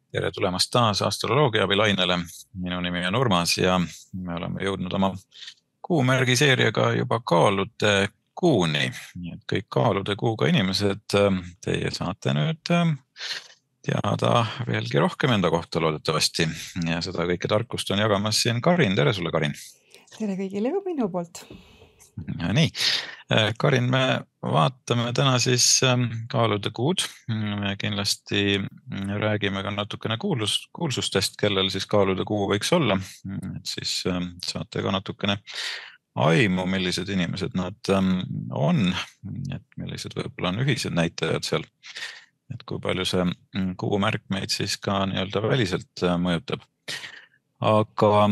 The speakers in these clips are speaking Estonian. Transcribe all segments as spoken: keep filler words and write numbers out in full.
Tere tulemast taas astroloogia abilainele. Minu nimi on Urmas ja me oleme jõudnud oma kuumärgi seeriaga juba kaalude kuuni. Nii et kõik kaalude kuuga inimesed, teie saate nüüd teada veelgi rohkem enda kohta loodetavasti. Ja seda kõike tarkust on jagamas siin Karin. Tere sulle, Karin! Tere kõigile ka minu poolt! Ja nii, Karin, me vaatame täna siis kaalude kuud. Me kindlasti räägime ka natukene kuulus, kuulsustest, kellel siis kaalude kuu võiks olla. Et siis saate ka natukene aimu, millised inimesed nad on, et millised võib-olla on ühised näitajad seal. Et kui palju see kuumärk meid siis ka nii-öelda väliselt mõjutab. Aga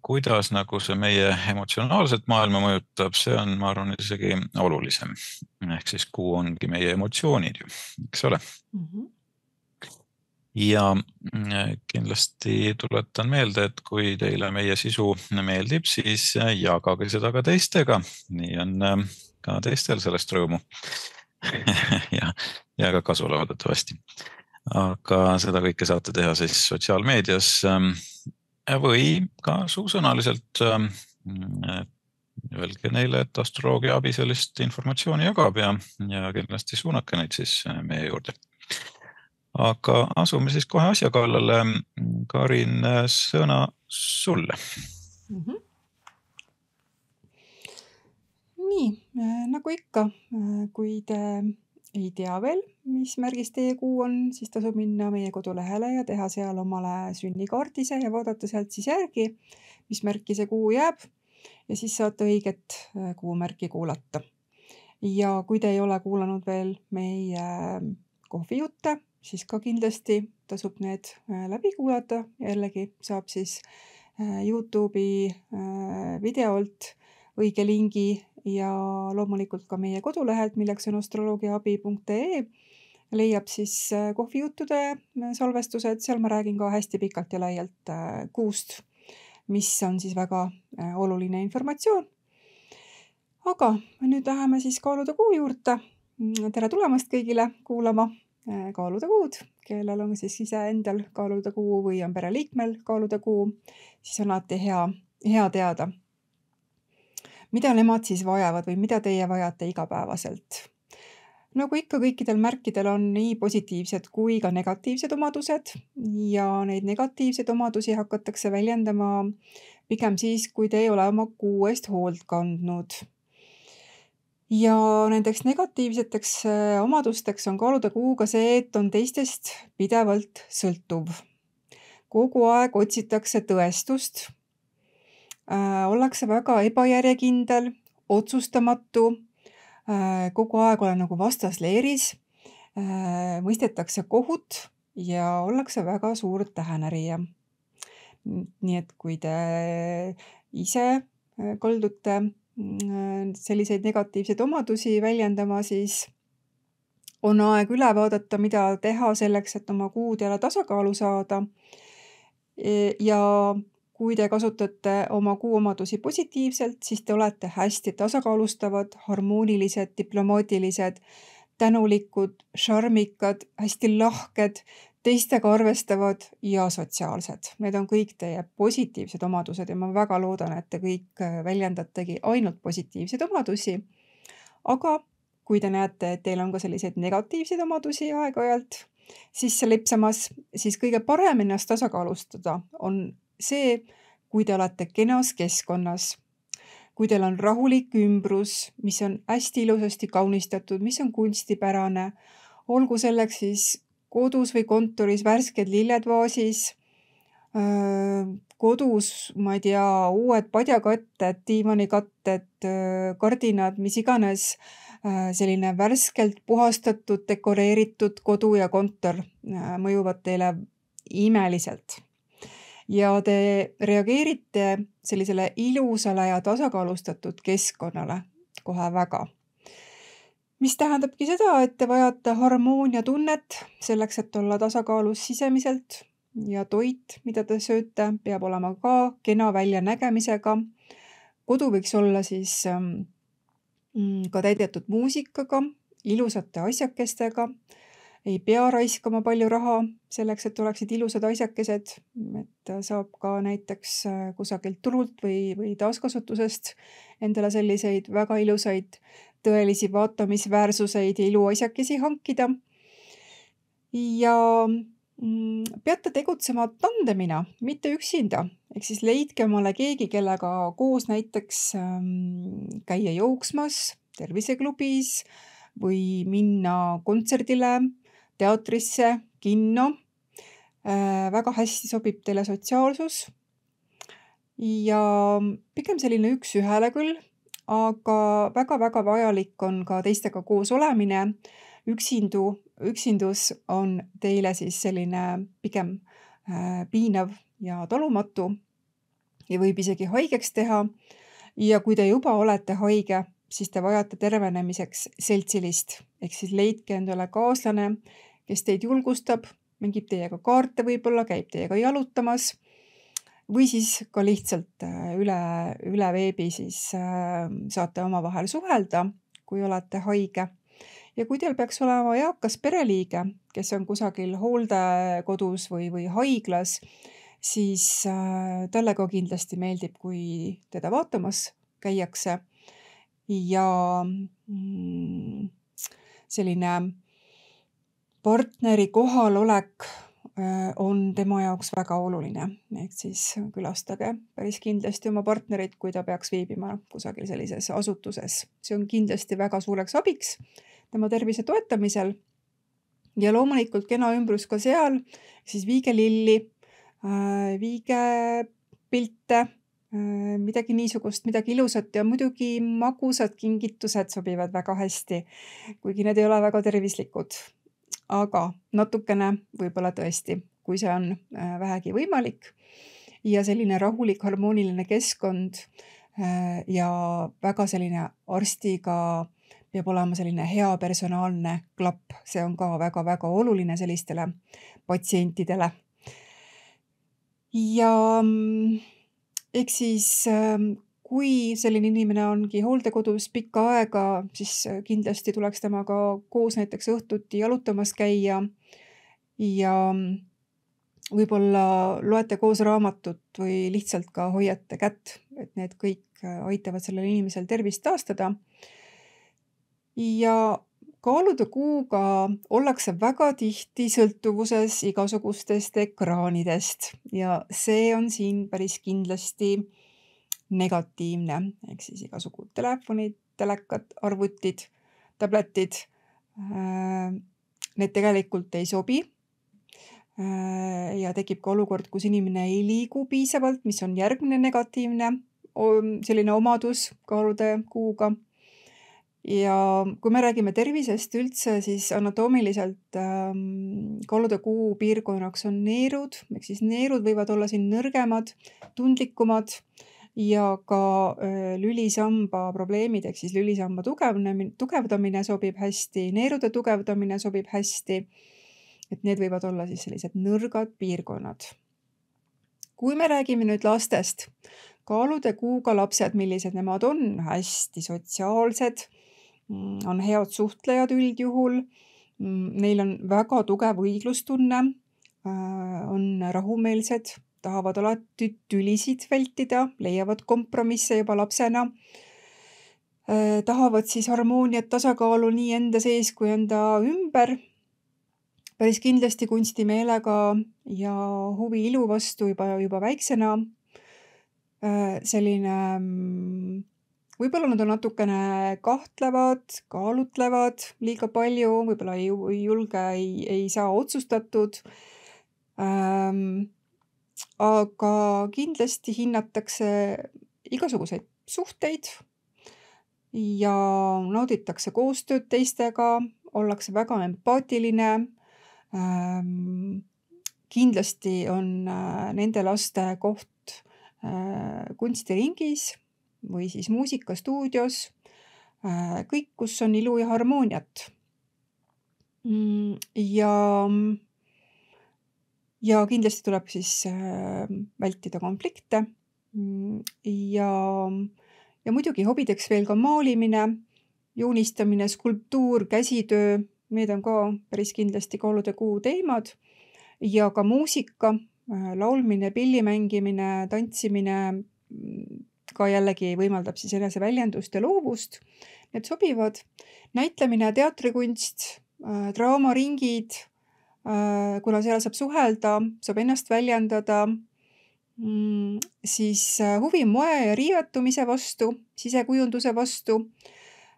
kuidas nagu see meie emotsionaalset maailma mõjutab, see on, ma arvan, isegi olulisem. Ehk siis kuu ongi meie emotsioonid ju, eks ole? Mm-hmm. Ja kindlasti tuletan meelde, et kui teile meie sisu meeldib, siis jagage seda ka teistega. Nii on ka teistel sellest rõõmu ja, ja ka kasu loodetavasti. Aga seda kõike saate teha siis sotsiaalmeedias või ka suusõnaliselt öelge neile, et astroloogia abi sellist informatsiooni jagab ja, ja kindlasti suunake neid siis meie juurde. Aga asume siis kohe asja kallale. Karin, sõna sulle. Mm-hmm. Nii, nagu ikka, kui te ei tea veel, mis märgis teie kuu on, siis tasub minna meie kodulehele ja teha seal omale sünnikaardise ja vaadata sealt siis järgi, mis märki see kuu jääb ja siis saate õiget kuumärki kuulata. Ja kui te ei ole kuulanud veel meie kohvijutte, siis ka kindlasti tasub need läbi kuulata. Jällegi saab siis YouTube'i videolt õige lingi ja loomulikult ka meie kodulehelt, milleks on astroloogiaabi punkt ee, leiab siis kohvijuttude salvestused. Seal ma räägin ka hästi pikalt ja laialt kuust, mis on siis väga oluline informatsioon. Aga nüüd läheme siis kaalude kuu juurde. Tere tulemast kõigile kuulama kaalude kuud, kellel on siis ise endal kaalude kuu või on pereliikmel kaalude kuu, siis on alati hea, hea teada, mida nemad siis vajavad või mida teie vajate igapäevaselt. Nagu ikka kõikidel märkidel on nii positiivsed kui ka negatiivsed omadused ja neid negatiivseid omadusi hakatakse väljendama pigem siis, kui te ei ole oma kuu eest hoolt kandnud. Ja nendeks negatiivseteks omadusteks on kaalude kuuga see, et on teistest pidevalt sõltuv. Kogu aeg otsitakse tõestust. Äh, ollakse väga ebajärjekindel, otsustamatu, äh, kogu aeg olen nagu vastasleeris, äh, mõistetakse kohut ja ollakse väga suur tähenärija. Nii et kui te ise kaldute selliseid negatiivseid omadusi väljendama, siis on aeg üle vaadata, mida teha selleks, et oma kuud jälle tasakaalu saada. Ja kui te kasutate oma kuu omadusi positiivselt, siis te olete hästi tasakaalustavad, harmoonilised, diplomaatilised, tänulikud, šarmikad, hästi lahked, teistega arvestavad ja sotsiaalsed. Need on kõik teie positiivsed omadused ja ma väga loodan, et te kõik väljendategi ainult positiivseid omadusi. Aga kui te näete, et teil on ka selliseid negatiivseid omadusi aeg-ajalt sisse lipsamas, siis kõige parem ennast tasakaalustada on see, kui te olete kenas keskkonnas, kui teil on rahulik ümbrus, mis on hästi ilusasti kaunistatud, mis on kunstipärane, olgu selleks siis kodus või kontoris värsked lilled vaasis, kodus, ma ei tea, uued padjakatted, diivanikatted, kardinad, mis iganes, selline värskelt puhastatud, dekoreeritud kodu ja kontor mõjuvad teile imeliselt. Ja te reageerite sellisele ilusale ja tasakaalustatud keskkonnale kohe väga. Mis tähendabki seda, et te vajate harmoonia tunnet selleks, et olla tasakaalus sisemiselt ja toit, mida te sööte, peab olema ka kena väljanägemisega. Kodu võiks olla siis ka täidetud muusikaga, ilusate asjakestega, ei pea raiskama palju raha selleks, et oleksid ilusad asjakesed, et saab ka näiteks kusagilt turult või, või taaskasutusest endale selliseid väga ilusaid tõelisi vaatamisväärsuseid ja iluasjakesi hankida. Ja peate tegutsema tandemina, mitte üksinda. Ehk siis leidke omale keegi, kellega koos näiteks käia jooksmas, terviseklubis või minna kontserdile, teatrisse, kinno. Väga hästi sobib teile sotsiaalsus. Ja pigem selline üks ühele küll, aga väga-väga vajalik on ka teistega koos olemine. Üksindu, üksindus on teile siis selline pigem piinav ja talumatu ja võib isegi haigeks teha. Ja kui te juba olete haige, siis te vajate tervenemiseks seltsilist. Ehk siis leidke endale kaaslane, kes teid julgustab, mängib teiega kaarte võib-olla, käib teiega jalutamas või siis ka lihtsalt üle, üle veebi siis saate omavahel suhelda, kui olete haige. Ja kui teil peaks olema eakas pereliige, kes on kusagil hooldekodus või, või haiglas, siis talle ka kindlasti meeldib, kui teda vaatamas käiakse. Ja selline partneri kohalolek on tema jaoks väga oluline. Ehk siis külastage päris kindlasti oma partnerit, kui ta peaks viibima kusagil sellises asutuses. See on kindlasti väga suureks abiks tema tervise toetamisel. Ja loomulikult kena ümbrus ka seal, siis viige lilli, viige pilte, midagi niisugust, midagi ilusat ja muidugi magusad kingitused sobivad väga hästi, kuigi need ei ole väga tervislikud. Aga natukene võib-olla tõesti, kui see on vähegi võimalik ja selline rahulik, harmooniline keskkond ja väga selline arstiga peab olema selline hea personaalne klapp. See on ka väga-väga oluline sellistele patsientidele. Ja eks siis, kui selline inimene ongi hooldekodus pikka aega, siis kindlasti tuleks temaga koos näiteks õhtuti jalutamas käia ja võib-olla loete koos raamatut või lihtsalt ka hoiate kätt, et need kõik aitavad sellel inimesel tervist taastada. Ja kaalude kuuga ollakse väga tihti sõltuvuses igasugustest ekraanidest ja see on siin päris kindlasti negatiivne. Ehk siis igasugu telefonid, telekad, arvutid, tabletid. Need tegelikult ei sobi ja tekib ka olukord, kus inimene ei liigu piisavalt, mis on järgmine negatiivne selline omadus kaalude kuuga. Ja kui me räägime tervisest üldse, siis anatoomiliselt kaalude kuu piirkonnaks on neerud, ehk siis neerud võivad olla siin nõrgemad, tundlikumad ja ka lülisamba probleemid, ehk siis lülisamba tugevnemine, tugevdamine sobib hästi, neerude tugevdamine sobib hästi, et need võivad olla siis sellised nõrgad piirkonnad. Kui me räägime nüüd lastest, kaalude kuuga lapsed, millised nemad on, hästi sotsiaalsed, on head suhtlejad üldjuhul, neil on väga tugev õiglustunne, on rahumeelsed, tahavad alati tülisid vältida, leiavad kompromisse juba lapsena, tahavad siis harmooniat, tasakaalu nii enda sees kui enda ümber, päris kindlasti kunstimeelega ja huvi ilu vastu juba, juba väiksena, selline võib-olla nad on natukene kahtlevad, kaalutlevad liiga palju, võib-olla ei, ei julge, ei, ei saa otsustatud. Ähm, aga kindlasti hinnatakse igasuguseid suhteid ja nauditakse koostööd teistega, ollakse väga empaatiline. Ähm, kindlasti on nende laste koht äh, kunstiringis või siis muusikastuudios, kõik, kus on ilu ja harmooniat. Ja, ja kindlasti tuleb siis vältida konflikte ja, ja muidugi hobideks veel ka maalimine, joonistamine, skulptuur, käsitöö, need on ka päris kindlasti kaalude kuu teemad ja ka muusika, laulmine, pilli mängimine, tantsimine ka jällegi võimaldab siis eneseväljendust ja loovust. Need sobivad. Näitlemine, teatrikunst, draamaringid, kuna seal saab suhelda, saab ennast väljendada, siis huvi moe ja riietumise vastu, sisekujunduse vastu.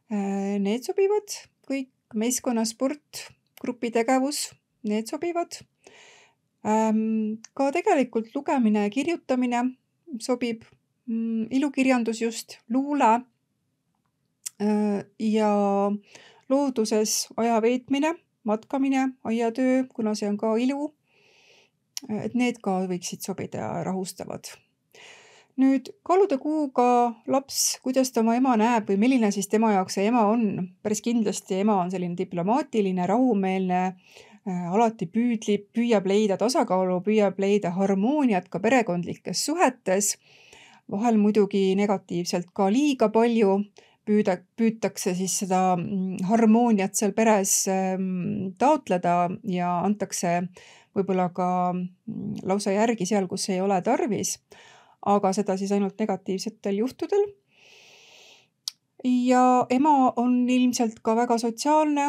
Need sobivad kõik, meeskonnasport, grupitegevus, need sobivad. Ka tegelikult lugemine ja kirjutamine sobib, ilukirjandus just, luule ja looduses aja veetmine, matkamine, aiatöö, kuna see on ka ilu. Et need ka võiksid sobida ja rahustavad. Nüüd kaalude kuuga laps, kuidas ta oma ema näeb või milline siis tema jaoks see ema on. Päris kindlasti ema on selline diplomaatiline, rahumeelne, alati püüdlib, püüab leida tasakaalu, püüab leida harmooniat ka perekondlikes suhetes. Vahel muidugi negatiivselt ka liiga palju püüda, püütakse siis seda harmooniat seal peres taotleda ja antakse võib-olla ka lausa järgi seal, kus ei ole tarvis, aga seda siis ainult negatiivsetel juhtudel. Ja ema on ilmselt ka väga sotsiaalne,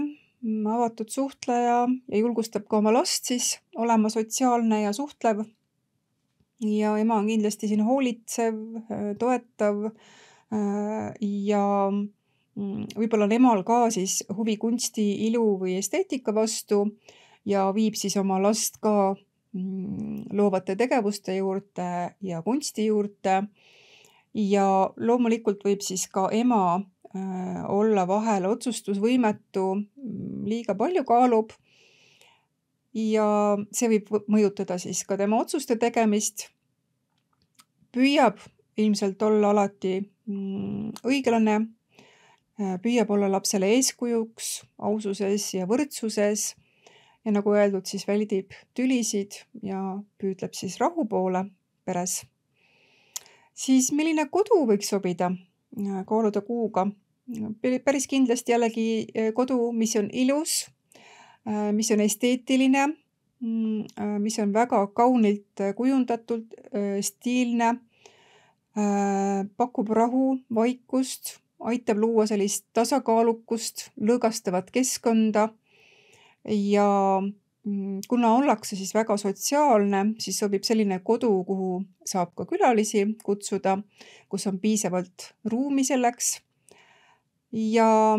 avatud suhtleja ja julgustab ka oma last siis olema sotsiaalne ja suhtlev. Ja ema on kindlasti siin hoolitsev, toetav ja võib-olla on emal ka siis huvi kunsti, ilu või esteetika vastu ja viib siis oma last ka loovate tegevuste juurde ja kunsti juurde. Ja loomulikult võib siis ka ema olla vahel otsustusvõimetu, liiga palju kaalub ja see võib mõjutada siis ka tema otsuste tegemist. Püüab ilmselt olla alati õiglane, püüab olla lapsele eeskujuks aususes ja võrdsuses ja nagu öeldud, siis väldib tülisid ja püüdleb siis rahu poole peres. Siis milline kodu võiks sobida kaalude kuuga? Päris kindlasti jällegi kodu, mis on ilus, mis on esteetiline, mis on väga kaunilt kujundatud, stiilne, pakub rahu, vaikust, aitab luua sellist tasakaalukust, lõõgastavat keskkonda ja kuna ollakse siis väga sotsiaalne, siis sobib selline kodu, kuhu saab ka külalisi kutsuda, kus on piisavalt ruumi selleks ja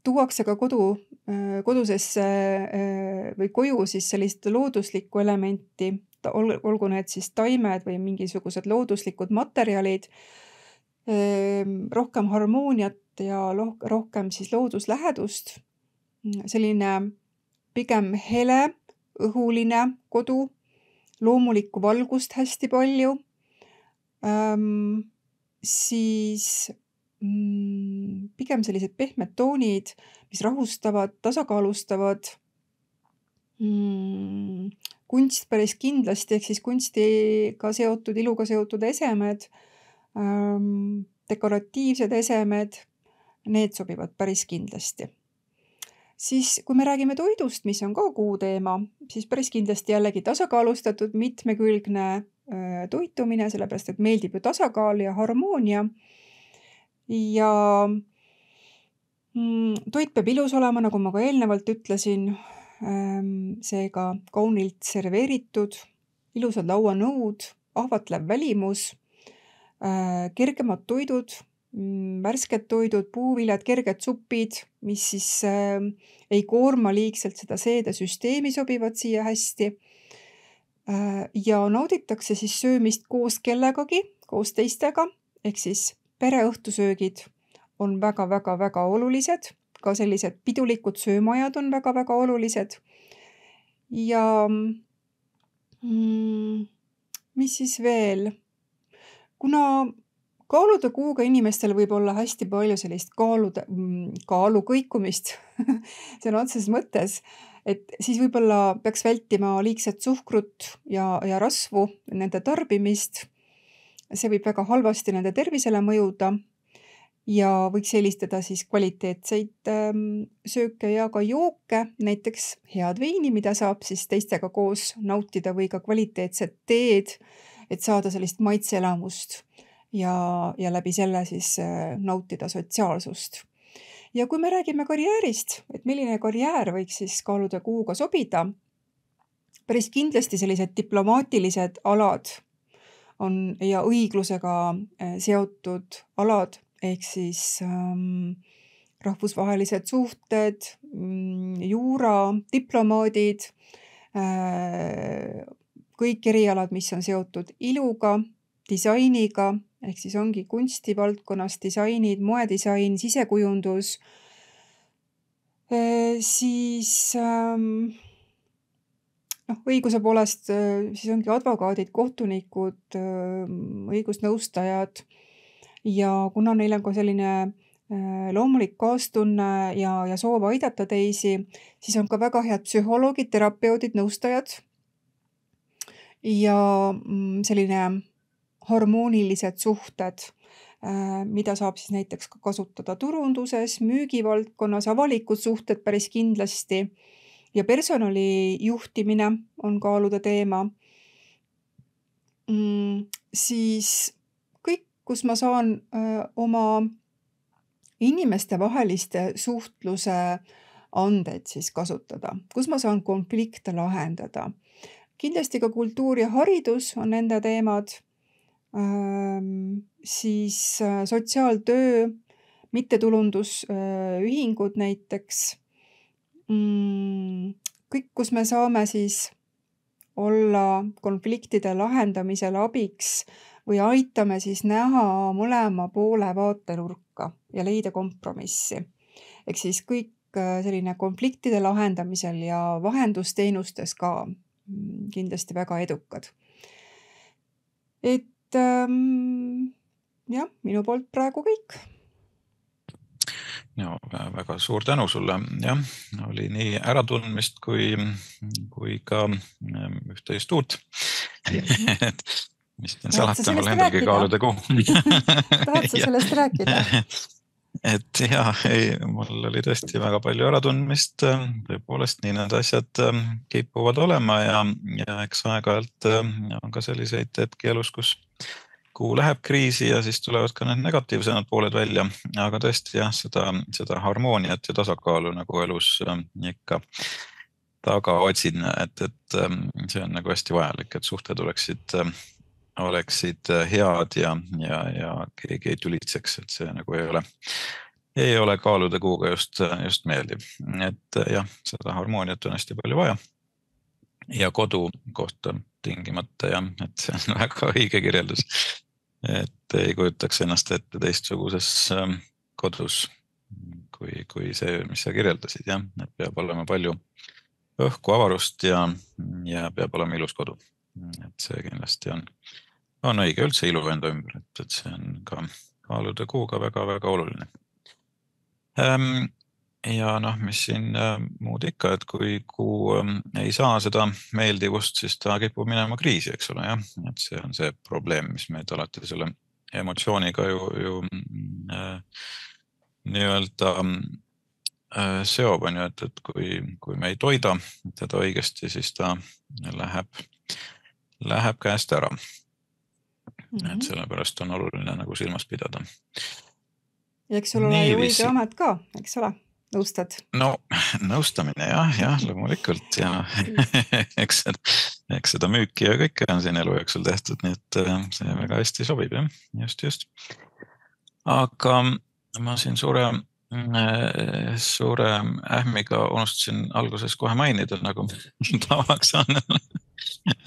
tuuakse ka kodu, kodusesse või koju siis sellist looduslikku elementi, olgu need siis taimed või mingisugused looduslikud materjalid, rohkem harmooniat ja rohkem siis looduslähedust, selline pigem hele, õhuline kodu, loomulikku valgust hästi palju, ähm, siis mm, pigem sellised pehmed toonid, mis rahustavad, tasakaalustavad, mm, kunst päris kindlasti, ehk siis kunstiga seotud, iluga seotud esemed, ähm, dekoratiivsed esemed, need sobivad päris kindlasti. Siis kui me räägime toidust, mis on ka kuu teema, siis päris kindlasti jällegi tasakaalustatud, mitmekülgne toitumine, sellepärast et meeldib ju tasakaal ja harmoonia. Ja toit peab ilus olema, nagu ma ka eelnevalt ütlesin, seega kaunilt serveeritud, ilusad lauanõud, ahvatlev välimus, kergemad toidud, värsked toidud, puuviljad, kerged supid, mis siis äh, ei koorma liigselt seda seedesüsteemi, sobivad siia hästi. Äh, ja nauditakse siis söömist koos kellegagi, koos teistega, ehk siis pereõhtusöögid on väga-väga-väga olulised, ka sellised pidulikud söömajad on väga-väga olulised. Ja mm, mis siis veel? Kuna kaalude kuuga inimestel võib olla hästi palju sellist kaalude, kaalu kõikumist, see on otseses mõttes, et siis võib-olla peaks vältima liigset suhkrut ja, ja rasvu, nende tarbimist. See võib väga halvasti nende tervisele mõjuda ja võiks eelistada siis kvaliteetseid sööke ja ka jooke, näiteks head veini, mida saab siis teistega koos nautida või ka kvaliteetset teed, et saada sellist maitseelamust ja, ja läbi selle siis nautida sotsiaalsust. Ja kui me räägime karjäärist, et milline karjäär võiks siis kaaluda kuuga sobida, päris kindlasti sellised diplomaatilised alad on ja õiglusega seotud alad, ehk siis ähm, rahvusvahelised suhted, juura, diplomaadid, äh, kõik erialad, mis on seotud iluga, disainiga, ehk siis ongi kunstivaldkonnas disainid, moedisain, sisekujundus, äh, siis ähm, noh, õiguse poolest siis ongi advokaadid, kohtunikud, õigusnõustajad ja kuna neil on ka selline loomulik kaastunne ja, ja soov aidata teisi, siis on ka väga head psühholoogid, terapeudid, nõustajad ja selline harmoonilised suhted, mida saab siis näiteks ka kasutada turunduses, müügivaldkonnas, avalikud suhted päris kindlasti ja personali juhtimine on kaaluda teema. Mm, siis kõik, kus ma saan öö, oma inimeste vaheliste suhtluse andeid siis kasutada, kus ma saan konflikte lahendada. Kindlasti ka kultuur ja haridus on nende teemad, ähm, siis sotsiaaltöö, mittetulundusühingud näiteks, mm, kõik, kus me saame siis olla konfliktide lahendamisel abiks või aitame siis näha mõlema poole vaatenurka ja leida kompromissi. Ehk siis kõik selline konfliktide lahendamisel ja vahendusteenustes ka kindlasti väga edukad. Et ähm, jah, minu poolt praegu kõik. No, väga suur tänu sulle. Jah, oli nii äratundmist kui, kui ka üht-teist uut. Mis on salata, mul endalgi kaaluda kuu. Tahad sa sellest rääkida? Et jah, ei, mul oli tõesti väga palju äratundmist. Tõepoolest, nii need asjad kipuvad olema ja, ja eks aeg-ajalt on ka selliseid hetki elus, kus kuu läheb kriisi ja siis tulevad ka need negatiivsemad pooled välja. Aga tõesti jah, seda, seda harmooniat ja tasakaalu nagu elus ikka taga otsin, et, et see on nagu hästi vajalik, et suhted oleksid oleksid head ja, ja, ja keegi ei tülitseks, et see nagu ei ole, ei ole kaaluda kuuga just, just meeldiv. Et jah, seda harmooniat on hästi palju vaja ja kodu kohta tingimata ja, et see on väga õige kirjeldus, et ei kujutaks ennast ette teistsuguses kodus kui, kui see, mis sa kirjeldasid, jah, et peab olema palju õhku avarust ja, ja peab olema ilus kodu. Et see kindlasti on, on õige üldse ilu enda ümber, et, et see on ka kaaluda kuuga väga-väga oluline. Ähm, ja noh, mis siin äh, muud ikka, et kui kuu äh, ei saa seda meeldivust, siis ta kipub minema kriisi, eks ole, jah, et see on see probleem, mis meid alati selle emotsiooniga ju, ju äh, nii-öelda äh, seob on ju, et, et kui, kui me ei toida teda õigesti, siis ta läheb läheb käest ära. Mm-hmm. Et sellepärast on oluline nagu silmas pidada. Ja eks sul ole ju õige amet ka, eks ole, nõustad? No, nõustamine jah, jah, loomulikult ja eks, eks seda müüki ja kõike on siin elu jooksul tehtud, nii et see väga hästi sobib, jah, just, just. Aga ma siin suure, suure ähmiga unustasin alguses kohe mainida, nagu tavaks on.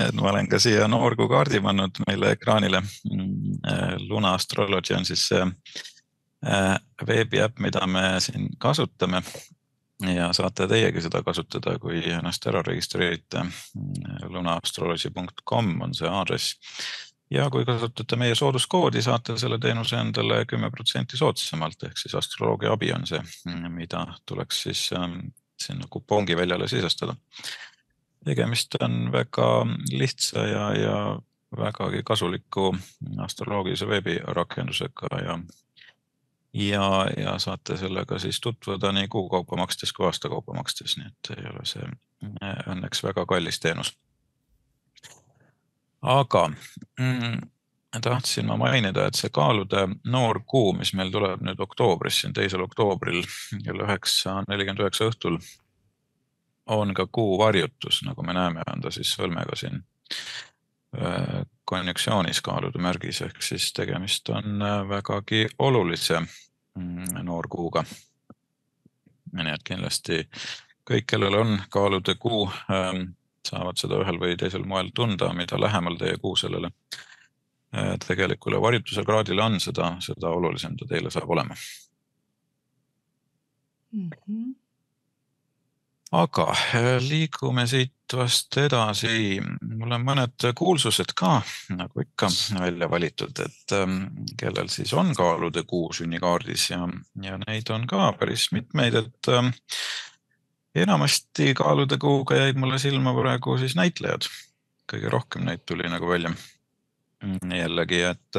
Et ma olen ka siia noorgu kaardi pannud meile ekraanile. Luna Astrology on siis see veebiäpp, mida me siin kasutame ja saate teiegi seda kasutada, kui ennast ära registreerite. luna astrology punkt com on see aadress. Ja kui kasutate meie sooduskoodi, saate selle teenuse endale kümme protsenti soodsamalt, ehk siis astroloogia abi on see, mida tuleks siis sinna kupongi väljale sisestada. Tegemist on väga lihtsa ja, ja vägagi kasuliku astroloogilise veebirakendusega ja, ja, ja saate sellega siis tutvuda nii kuukaupa makstes kui aastakaupa makstes, nii et ei ole see õnneks väga kallis teenus. Aga mm, tahtsin ma mainida, et see kaalude noor kuu, mis meil tuleb nüüd oktoobris, siin teisel oktoobril kell üheksa nelikümmend üheksa õhtul, on ka kuu varjutus, nagu me näeme, on ta siis sõlmega siin konjunksioonis kaalude märgis, ehk siis tegemist on vägagi olulise noorkuuga. Nii et kindlasti kõik, kellel on kaalude kuu, saavad seda ühel või teisel moel tunda, mida lähemal teie kuu sellele tegelikule varjutuse kraadile on, seda, seda olulisem ta teile saab olema. Mm-hmm. Aga liigume siit vast edasi. Mul on mõned kuulsused ka, nagu ikka, välja valitud, et kellel siis on kaalude kuu sünnikaardis ja, ja neid on ka päris mitmeid, et enamasti kaalude kuuga jäid mulle silma praegu siis näitlejad. Kõige rohkem neid tuli nagu välja. Jällegi, et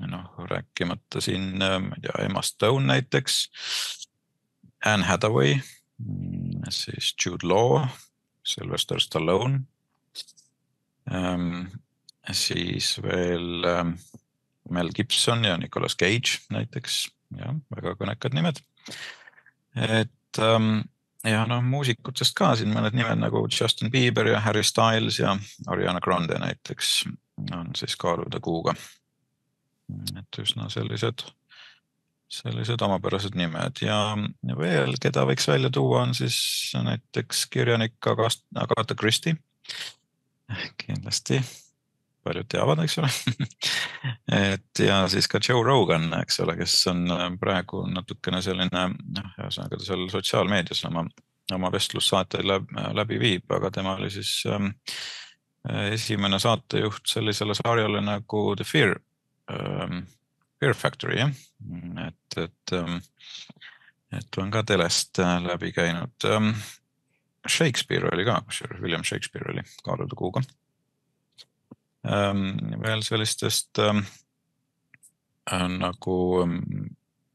noh, rääkimata siin, ma ei tea, Emma Stone näiteks, Anne Hathaway, siis Jude Law, Sylvester Stallone, ähm, siis veel ähm, Mel Gibson ja Nicolas Cage näiteks, ja, väga kõnekad nimed. Et ähm, ja noh, muusikutest ka siin mõned nimed nagu Justin Bieber ja Harry Styles ja Ariana Grande näiteks on siis kaalude kuuga. Et üsna sellised sellised omapärased nimed ja veel, keda võiks välja tuua, on siis näiteks kirjanik Agatha Christie. Kindlasti paljud teavad, eks ole. Et ja siis ka Joe Rogan, eks ole, kes on praegu natukene selline, noh, ühesõnaga ta seal sotsiaalmeedias oma, oma vestlussaate läbi viib, aga tema oli siis ähm, esimene saatejuht sellisele sarjale nagu The Fear ähm, Fear Factory, jah. Et, et, et on ka telest läbi käinud. Shakespeare oli ka, William Shakespeare oli kaalude kuuga. Veel sellistest nagu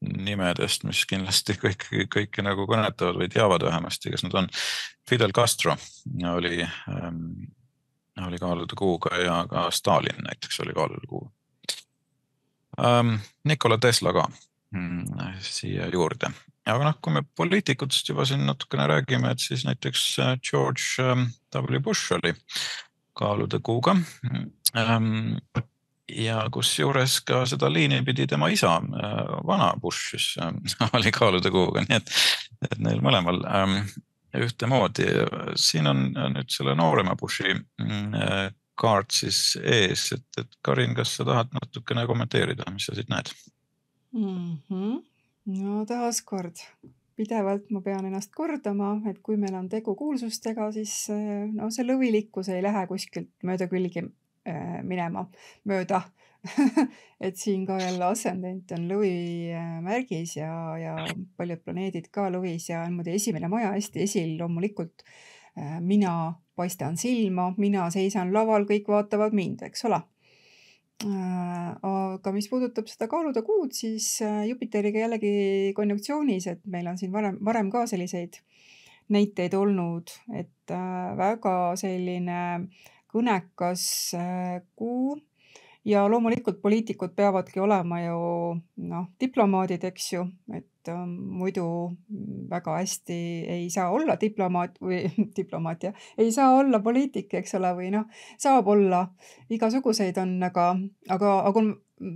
nimedest, mis kindlasti kõik, kõiki nagu kõnetavad või teavad vähemasti, kes nad on. Fidel Castro oli, oli kaalude kuuga ja ka Stalin näiteks oli kaalude kuuga. Um, Nikola Tesla ka mm, siia juurde. Aga noh, kui me poliitikutest juba siin natukene räägime, et siis näiteks George W. Bush oli kaalude kuuga. Um, ja kus juures ka seda liini pidi tema isa, vana Bush, siis oli kaalude kuuga. Nii et, et neil mõlemal um, ühtemoodi. Siin on nüüd selle noorema Bushi mm, kaart siis ees, et, et Karin, kas sa tahad natukene kommenteerida, mis sa siit näed? Mm-hmm. No taas kord. Pidevalt ma pean ennast kordama, et kui meil on tegu kuulsustega, siis no, see lõvilikkus ei lähe kuskilt mööda külgi äh, minema, mööda. Et siin ka jälle ascendent on lõvi märgis ja, ja paljud planeedid ka lõvis ja muide esimene maja hästi esil loomulikult. Äh, mina paistan silma, mina seisan laval, kõik vaatavad mind, eks ole. Aga mis puudutab seda kaalude kuud, siis Jupiteriga jällegi konjunksioonis, et meil on siin varem, varem ka selliseid näiteid olnud, et väga selline kõnekas kuu ja loomulikult poliitikud peavadki olema ju noh, diplomaadid, eks ju, et um, muidu väga hästi ei saa olla diplomaat või diplomaat ja ei saa olla poliitik, eks ole, või noh, saab olla, igasuguseid on, aga, aga, aga on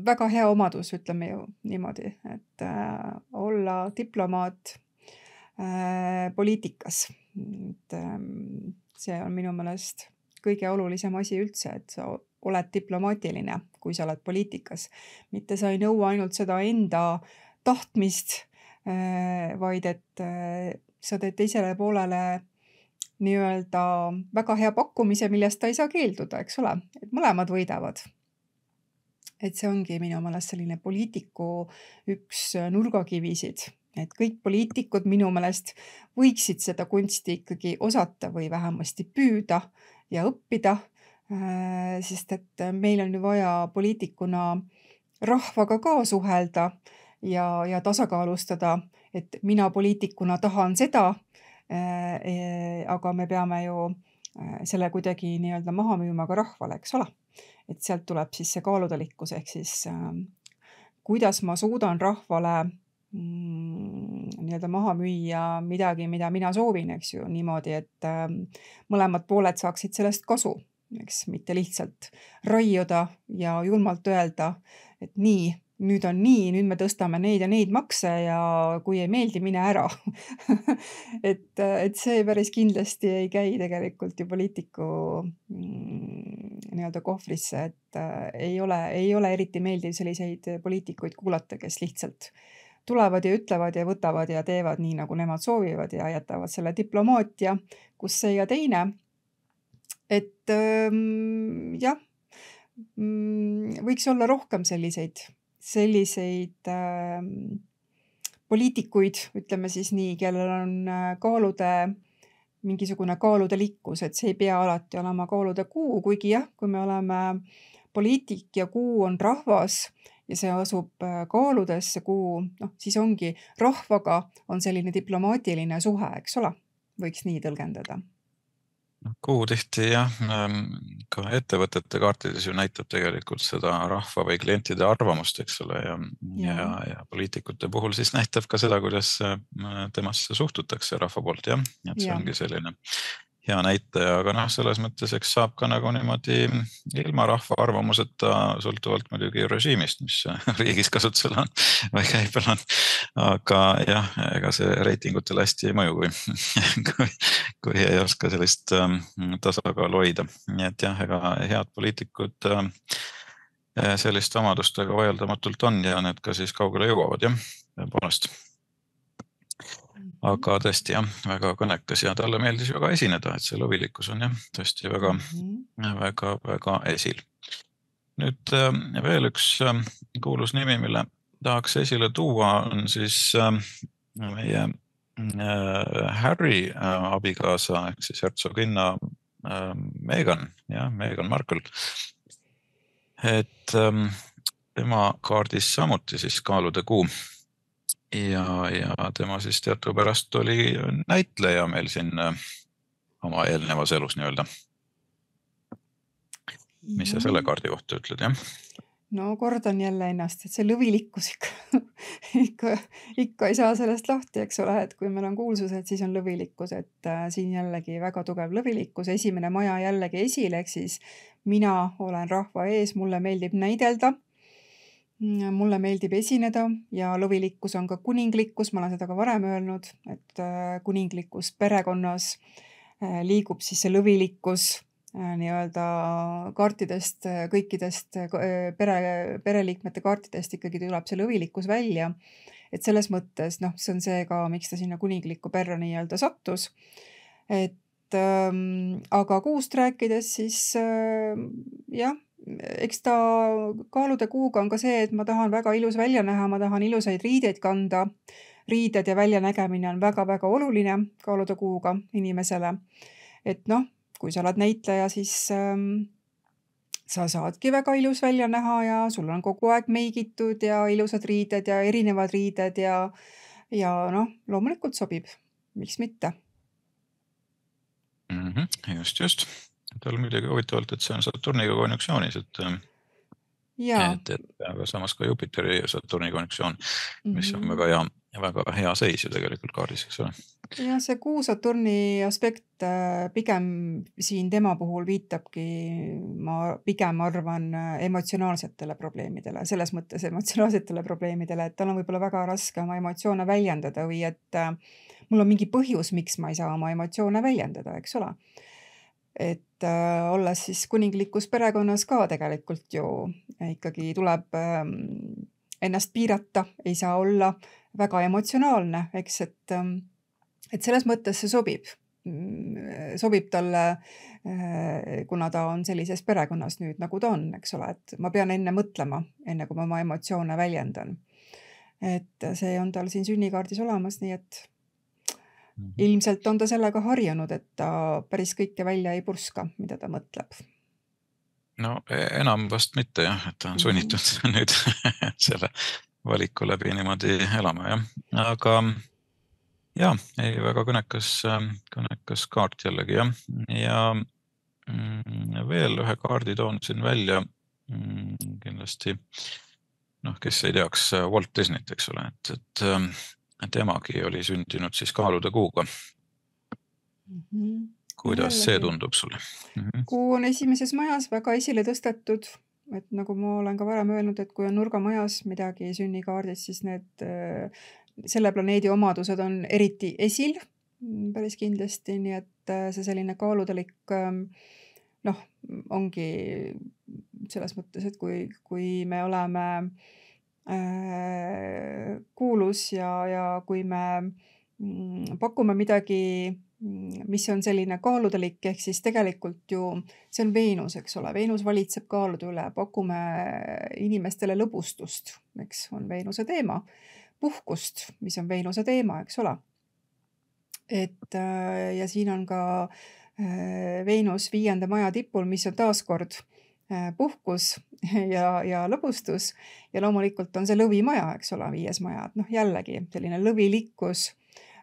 väga hea omadus, ütleme ju niimoodi, et äh, olla diplomaat äh, poliitikas. Et, äh, see on minu meelest kõige olulisem asi üldse, et sa oled diplomaatiline, kui sa oled poliitikas. Mitte sa ei nõua ainult seda enda tahtmist, vaid et sa teed teisele poolele nii-öelda väga hea pakkumise, millest ta ei saa keelduda, eks ole, et mõlemad võidavad. Et see ongi minu meelest selline poliitiku üks nurgakivisid, et kõik poliitikud minu meelest võiksid seda kunsti ikkagi osata või vähemasti püüda ja õppida, sest et meil on ju vaja poliitikuna rahvaga ka suhelda ja, ja tasakaalustada, et mina poliitikuna tahan seda, aga me peame ju selle kuidagi nii-öelda maha müüma ka rahvale, eks ole. Et sealt tuleb siis see kaaludelikkus ehk siis kuidas ma suudan rahvale mm, nii-öelda maha müüa midagi, mida mina soovin, eks ju, niimoodi, et mõlemad pooled saaksid sellest kasu, eks, mitte lihtsalt raiuda ja julmalt öelda, et nii, nüüd on nii, nüüd me tõstame neid ja neid makse ja kui ei meeldi, mine ära. et, et see päris kindlasti ei käi tegelikult ju poliitiku mm, nii-öelda kohvrisse, et äh, ei ole, ei ole eriti meeldiv selliseid poliitikuid kuulata, kes lihtsalt tulevad ja ütlevad ja võtavad ja teevad nii, nagu nemad soovivad ja jätavad selle diplomaatia, kus see ja teine. Et ähm, jah, võiks olla rohkem selliseid, selliseid äh, poliitikuid, ütleme siis nii, kellel on kaalude, mingisugune kaaludelikkus, et see ei pea alati olema kaalude kuu, kuigi jah, kui me oleme poliitik ja kuu on rahvas ja see asub kaaludes, see kuu, noh, siis ongi rahvaga on selline diplomaatiline suhe, eks ole, võiks nii tõlgendada. Kuu tihti jah, ka ettevõtete kaartides ju näitab tegelikult seda rahva või klientide arvamust, eks ole, ja, ja. Ja, ja poliitikute puhul siis näitab ka seda, kuidas temasse suhtutakse rahva poolt, jah, et see ja. Ongi selline hea näitaja, aga noh, selles mõttes, eks saab ka nagu niimoodi ilma rahva arvamuseta, sõltuvalt muidugi režiimist, mis riigis kasutusel on või käibel on, aga jah, ega see reitingutele hästi ei mõju, kui, kui, kui ei oska sellist ähm, tasakaalu hoida. Nii et jah, ega head poliitikud äh, sellist omadustega vaieldamatult on ja need ka siis kaugele jõuavad, jah, poolest. Aga tõesti jah, väga kõnekas ja talle meeldis väga esineda, et see lõvilikkus on jah, tõesti väga, mm-hmm. väga, väga esil. Nüüd veel üks kuulus nimi, mille tahaks esile tuua, on siis meie Harry abikaasa, ehk siis hertsoginna Meghan, jah, Meghan Markle. Et tema kaardis samuti siis kaalude kuu. Ja, ja tema siis teadupärast oli näitleja meil siin oma eelnevas elus nii-öelda. Mis sa selle kaardi kohta ütled, jah? No kordan jälle ennast, et see lõvilikkus ikka, ikka, ikka ei saa sellest lahti, eks ole, et kui meil on kuulsused, siis on lõvilikkus, et äh, siin jällegi väga tugev lõvilikkus, esimene maja jällegi esile, ehk siis mina olen rahva ees, mulle meeldib näidelda. Mulle meeldib esineda ja lõvilikkus on ka kuninglikkus, ma olen seda ka varem öelnud, et kuninglikkus perekonnas liigub siis see lõvilikkus nii-öelda kaartidest, kõikidest pere, pereliikmete kaartidest ikkagi tuleb see lõvilikkus välja. Et selles mõttes, noh, see on see ka, miks ta sinna kuninglikku perre nii-öelda sattus. Et ähm, aga kuust rääkides siis äh, jah, eks ta kaalude kuuga on ka see, et ma tahan väga ilus välja näha, ma tahan ilusaid riideid kanda. Riided ja väljanägemine on väga-väga oluline kaalude kuuga inimesele. Et noh, kui sa oled näitleja, siis ähm, sa saadki väga ilus välja näha ja sul on kogu aeg meigitud ja ilusad riided ja erinevad riided ja, ja noh, loomulikult sobib. Miks mitte? Mm-hmm, just, just. Tal midagi huvitavalt, et see on Saturniga konjunksioonis, et, et, et aga samas ka Jupiteri ja Saturni konjunktsioon, mis on väga hea, väga hea seis ju tegelikult kaardis, eks ole. Ja see kuu Saturni aspekt pigem siin tema puhul viitabki, ma pigem arvan emotsionaalsetele probleemidele, selles mõttes emotsionaalsetele probleemidele, et tal on võib-olla väga raske oma emotsioone väljendada või et mul on mingi põhjus, miks ma ei saa oma emotsioone väljendada, eks ole. Et äh, olles siis kuninglikus perekonnas ka tegelikult ju ikkagi tuleb äh, ennast piirata, ei saa olla väga emotsionaalne, eks, et, äh, et selles mõttes see sobib. Sobib talle, äh, kuna ta on sellises perekonnas nüüd, nagu ta on, eks ole, et ma pean enne mõtlema, enne kui ma oma emotsioone väljendan. Et see on tal siin sünnikaardis olemas, nii et ilmselt on ta sellega harjunud, et ta päris kõike välja ei purska, mida ta mõtleb. no enam vast mitte jah, et ta on sunnitud mm. nüüd selle valiku läbi niimoodi elama jah, aga jah, ei väga kõnekas, kõnekas kaart jällegi jah, ja veel ühe kaardi toon siin välja kindlasti, noh, kes ei teaks Walt Disneyt, eks ole, et, et, et emagi oli sündinud siis kaalude kuuga. Mm-hmm. Kuidas see tundub sulle? Mm-hmm. Kuu on esimeses majas väga esile tõstetud, et nagu ma olen ka varem öelnud, et kui on nurgamajas midagi sünnikaardis, siis need, selle planeedi omadused on eriti esil päris kindlasti, nii et see selline kaaludelik noh, ongi selles mõttes, et kui, kui me oleme äh, kuulus ja, ja kui me mm, pakume midagi, mis on selline kaaludelik, ehk siis tegelikult ju see on Veenus, eks ole, Veenus valitseb kaalude üle, pakume inimestele lõbustust, eks on Veenuse teema, puhkust, mis on Veenuse teema, eks ole. Et ja siin on ka Veenus viienda maja tipul, mis on taaskord puhkus ja, ja lõbustus ja loomulikult on see lõvimaja, eks ole, viies maja, et noh, jällegi selline lõvilikkus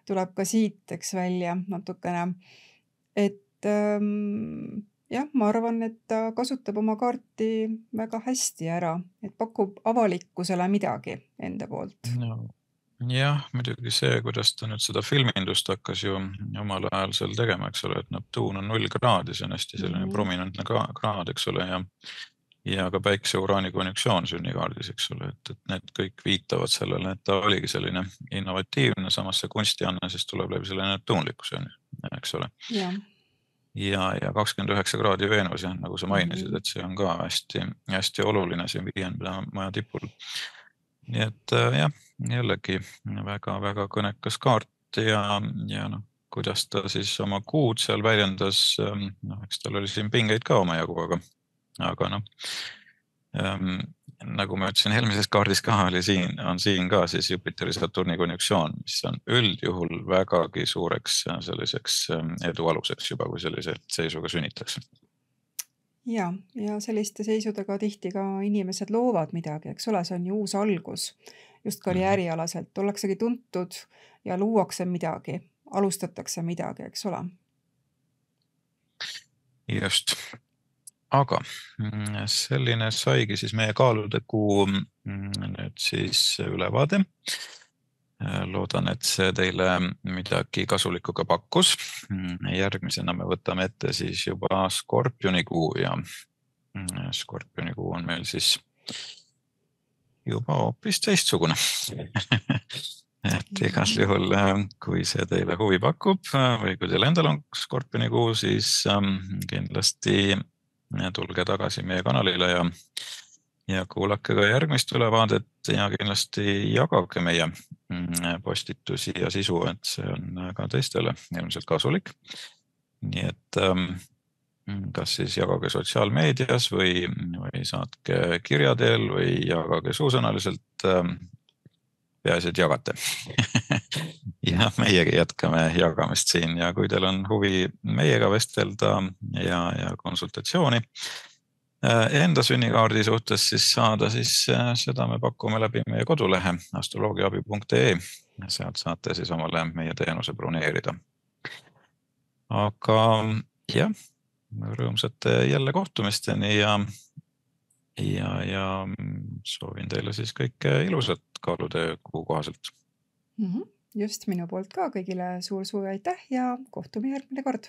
tuleb ka siit, eks välja natukene, et ähm, jah, ma arvan, et ta kasutab oma kaarti väga hästi ära, et pakub avalikkusele midagi enda poolt. No. Jah, muidugi see, kuidas ta nüüd seda filmindust hakkas ju omal ajal seal tegema, eks ole, et Neptuun on null kraadi, see on hästi selline mm-hmm. prominentne kraad, eks ole, ja ja ka päikse uraani konjunktsioon sünnikaardis, eks ole, et, et need kõik viitavad sellele, et ta oligi selline innovatiivne, samas see kunstianne siis tuleb läbi selle neptuunlikkuse, eks ole. Ja, ja, ja kakskümmend üheksa kraadi Veenus, jah, nagu sa mainisid, et see on ka hästi, hästi oluline siin viienda maja tipul. Nii et jah, jällegi väga, väga kõnekas kaart ja, ja noh, kuidas ta siis oma kuud seal väljendas, noh, eks tal oli siin pingeid ka oma jagu, aga aga noh, ähm, nagu ma ütlesin, eelmises kaardis ka oli siin, on siin ka siis Jupiteri Saturni konjunktsioon, mis on üldjuhul vägagi suureks selliseks edu aluseks juba, kui sellise seisuga sünnitakse. Ja, ja selliste seisudega tihti ka inimesed loovad midagi, eks ole, see on ju uus algus, just karjäärialaselt, ollaksegi tuntud ja luuakse midagi, alustatakse midagi, eks ole. Just. Aga selline saigi siis meie kaalude kuu nüüd siis ülevaade. Loodan, et see teile midagi kasulikku ka pakkus. Järgmisena me võtame ette siis juba Skorpioni kuu ja Skorpioni kuu on meil siis juba hoopis teistsugune. Et igal juhul, kui see teile huvi pakub või kui teil endal on Skorpioni kuu, siis kindlasti tulge tagasi meie kanalile ja, ja kuulake ka järgmist ülevaadet ja kindlasti jagage meie postitusi ja sisu, et see on ka teistele ilmselt kasulik. Nii et kas siis jagage sotsiaalmeedias või, või saatke kirja teel või jagage suusõnaliselt, peaasi, et jagate. Ja meiegi jätkame jagamist siin ja kui teil on huvi meiega vestelda ja, ja konsultatsiooni enda sünnikaardi suhtes siis saada, siis seda me pakume läbi meie kodulehe astroloogiaabi punkt ee. Sealt saate siis omale meie teenuse broneerida. Aga jah, rõõmsate jälle kohtumisteni ja, ja, ja soovin teile siis kõike ilusat kaalude kuu kohaselt. Mm-hmm. Just minu poolt ka kõigile suur-suur aitäh ja kohtume järgmine kord.